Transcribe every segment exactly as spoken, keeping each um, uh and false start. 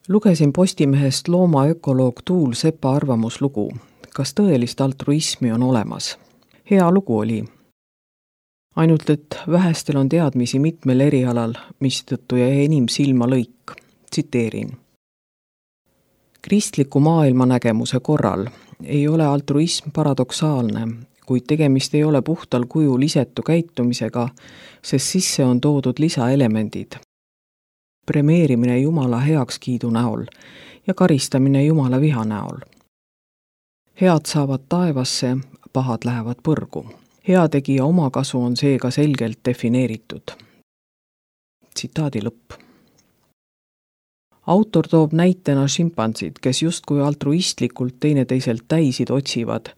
Lugesin Postimehest loomaökoloog Tuul Sepa arvamuslugu. Kas tõelist altruismi on olemas? Hea lugu oli. Ainult, et vähestel on teadmisi mitmel erialal, mistõttu jäi enim silma lõik. Tsiteerin. Kristliku maailmanägemuse korral ei ole altruism paradoksaalne, kuid tegemist ei ole puhtal kujul isetu käitumisega, sest sisse on toodud lisaelemendid. Premeerimine Jumala heakskiidu näol ja karistamine Jumala viha näol. Head saavad taevasse, pahad lähevad põrgu. Heategija omakasu on seega selgelt defineeritud. Tsitaadi lõpp. Autor toob näitena šimpansid, kes justkui altruistlikult teineteiselt täisid otsivad,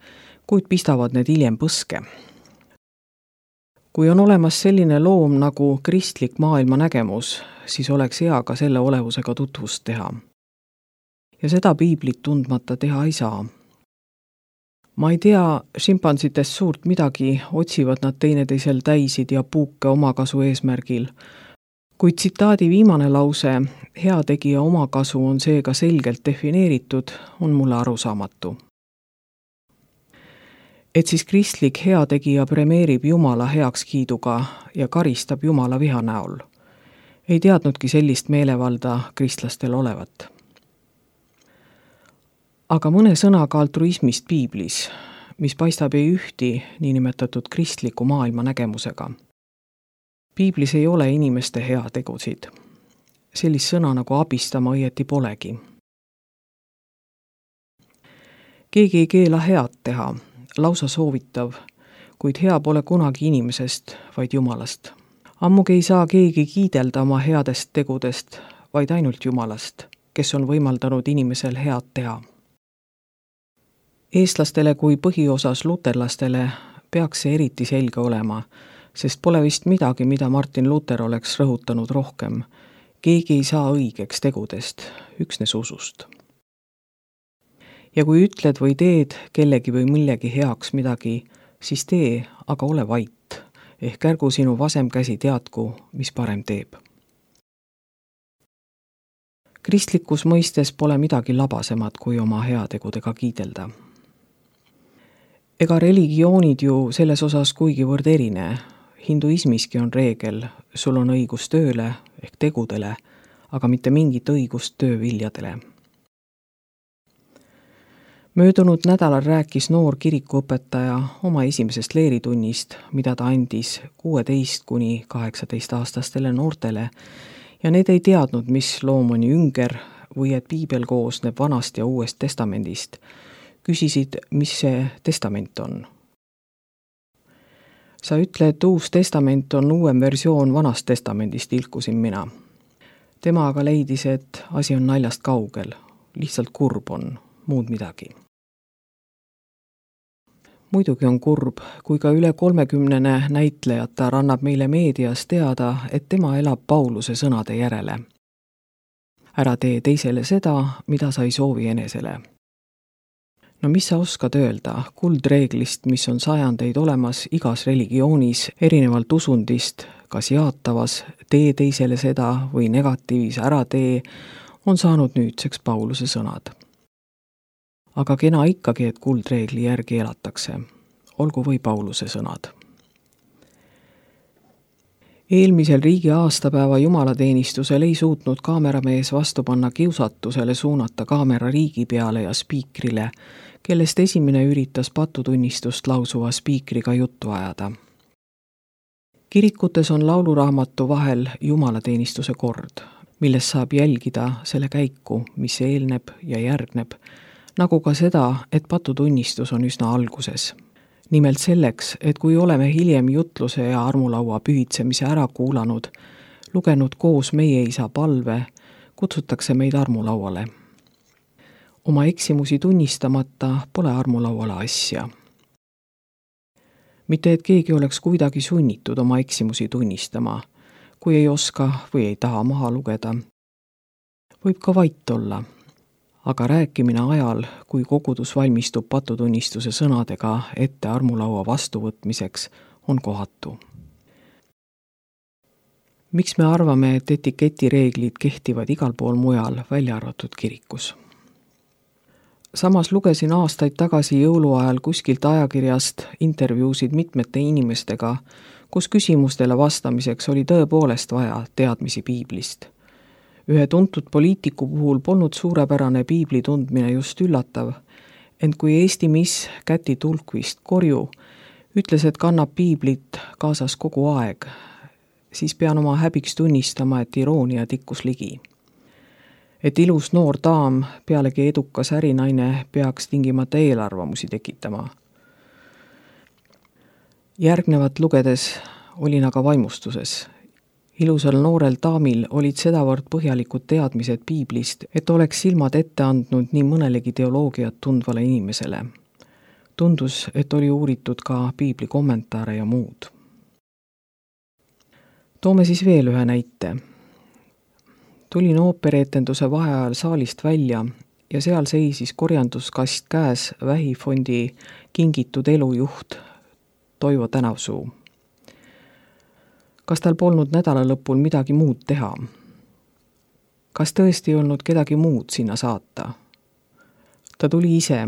kuid pistavad need hiljem põske. Kui on olemas selline loom nagu kristlik maailmanägemus, siis oleks hea ka selle olevusega tutvust teha. Ja seda piiblit tundmata teha ei saa. Ma ei tea šimpansitest suurt midagi, otsivad nad teineteisel täisid ja puuke omakasu eesmärgil. Kuid tsitaadi viimane lause, heategija omakasu on seega selgelt defineeritud, on mulle arusaamatu. Et siis kristlik heategija premeerib Jumala heakskiiduga ja karistab Jumala viha näol. Ei teadnudki sellist meelevalda kristlastel olevat. Aga mõne sõnaga altruismist piiblis, mis paistab ei ühti niinimetatud kristliku maailma nägemusega. Piiblis ei ole inimeste heategusid. Sellist sõna nagu abistama õieti polegi. Keegi ei keela head teha, lausa soovitav, kuid hea pole kunagi inimesest, vaid Jumalast. Ammugi ei saa keegi kiidelda oma headest tegudest, vaid ainult Jumalast, kes on võimaldanud inimesel head teha. Eestlastele kui põhiosas luterlastele peaks see eriti selge olema, sest pole vist midagi, mida Martin Luther oleks rõhutanud rohkem. Keegi ei saa õigeks tegudest, üksnes usust. Ja kui ütled või teed kellegi või millegi heaks midagi, siis tee, aga ole vait, ehk ärgu sinu vasem käsi teadku, mis parem teeb. Kristlikus mõistes pole midagi labasemat kui oma heategudega kiidelda. Ega religioonid ju selles osas kuigivõrd erine. Hinduismiski on reegel, sul on õigus tööle ehk tegudele, aga mitte mingit õigust tööviljadele. Möödunud nädalal rääkis noor kirikuõpetaja oma esimesest leeritunnist, mida ta andis kuueteist kuni kaheksateist aastastele noortele, ja need ei teadnud, mis loom on jünger või et piibel koosneb vanast ja uuest testamendist. Küsisid, mis see testament on. Sa ütle, et uus testament on uuem versioon vanast testamendist, ilkusin mina. Tema aga leidis, et asi on naljast kaugel, lihtsalt kurb on, muud midagi. Muidugi on kurb, kui ka üle kolmekümnene näitlejata annab meile meedias teada, et tema elab Pauluse sõnade järele. Ära tee teisele seda, mida sa ei soovi enesele. No mis sa oskad öelda kuldreeglist, mis on sajandeid olemas igas religioonis, erinevalt usundist, kas jaatavas, tee teisele seda või negatiivis ära tee, on saanud nüüdseks Pauluse sõnad. Aga kena ikkagi, et kuldreegli järgi elatakse, olgu või Pauluse sõnad. Eelmisel riigi aastapäeva jumalateenistusel ei suutnud kaameramees vastu panna kiusatusele suunata kaamera riigi peale ja spiikrile, kellest esimene üritas patutunnistust lausuva spiikriga juttu ajada. Kirikutes on lauluraamatu vahel jumalateenistuse kord, milles saab jälgida selle käiku, mis eelneb ja järgneb, nagu ka seda, et patutunnistus on üsna alguses. Nimelt selleks, et kui oleme hiljem jutluse ja armulaua pühitsemise ära kuulanud, lugenud koos meie isa palve, kutsutakse meid armulauale. Oma eksimusi tunnistamata pole armulauale asja. Mitte et keegi oleks kuidagi sunnitud oma eksimusi tunnistama, kui ei oska või ei taha maha lugeda. Võib ka vait olla. Aga rääkimine ajal, kui kogudus valmistub patutunnistuse sõnadega ette armulaua vastuvõtmiseks, on kohatu. miks me arvame, et etiketireeglid kehtivad igal pool mujal, välja arvatud kirikus? Samas lugesin aastaid tagasi jõuluajal kuskilt ajakirjast intervjuusid mitmete inimestega, kus küsimustele vastamiseks oli tõepoolest vaja teadmisi piiblist. Ühe tuntud poliitiku puhul polnud suurepärane piibli tundmine just üllatav, ent kui Eesti miss Käti Tulkvist Korju ütles, et kannab piiblit kaasas kogu aeg, siis pean oma häbiks tunnistama, et iroonia tikkus ligi. Et ilus noor daam, pealegi edukas ärinaine, peaks tingimata eelarvamusi tekitama. Järgnevat lugedes olin aga vaimustuses. Ilusal noorel daamil olid sedavõrd põhjalikud teadmised piiblist, et oleks silmad ette andnud nii mõnelegi teoloogiat tundvale inimesele. Tundus, et oli uuritud ka piibli kommentaare ja muud. Toome siis veel ühe näite. Tulin oopereetenduse vaheajal saalist välja ja seal seisis korjanduskast käes vähifondi kingitud elujuht Toivo Tänavsuu. Kas tal polnud nädala lõpul midagi muud teha? Kas tõesti ei olnud kedagi muud sinna saata? Ta tuli ise,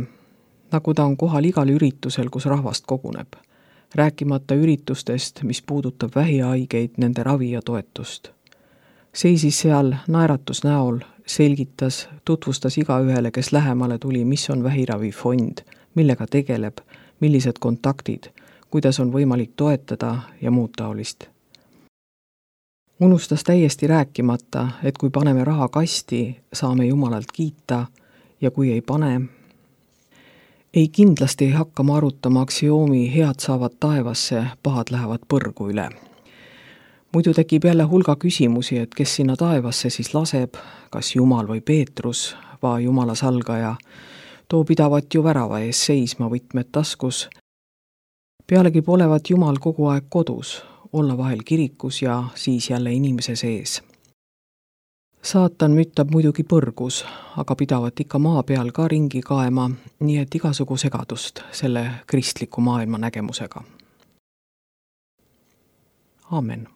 nagu ta on kohal igal üritusel, kus rahvast koguneb, rääkimata üritustest, mis puudutab vähihaigeid, nende ravi ja toetust. Seisis seal naeratus näol, selgitas, tutvustas igaühele, kes lähemale tuli, mis on vähiravifond, millega tegeleb, millised kontaktid, kuidas on võimalik toetada ja muud taolist. Unustas täiesti rääkimata, et kui paneme raha kasti, saame Jumalalt kiita ja kui ei pane, ei kindlasti ei hakka ma arutama aksioomi head saavad taevasse, pahad lähevad põrgu üle. Muidu tekib jälle hulga küsimusi, et kes sinna taevasse siis laseb, kas Jumal või Peetrus, va Jumala salgaja, too pidavat ju värava ees seisma võtmed taskus. Pealegi polevat Jumal kogu aeg kodus, olla vahel kirikus ja siis jälle inimese sees. Saatan müttab muidugi põrgus, aga pidavat ikka maa peal ka ringi kaema, nii et igasugu segadust selle kristliku maailma nägemusega. Aamen.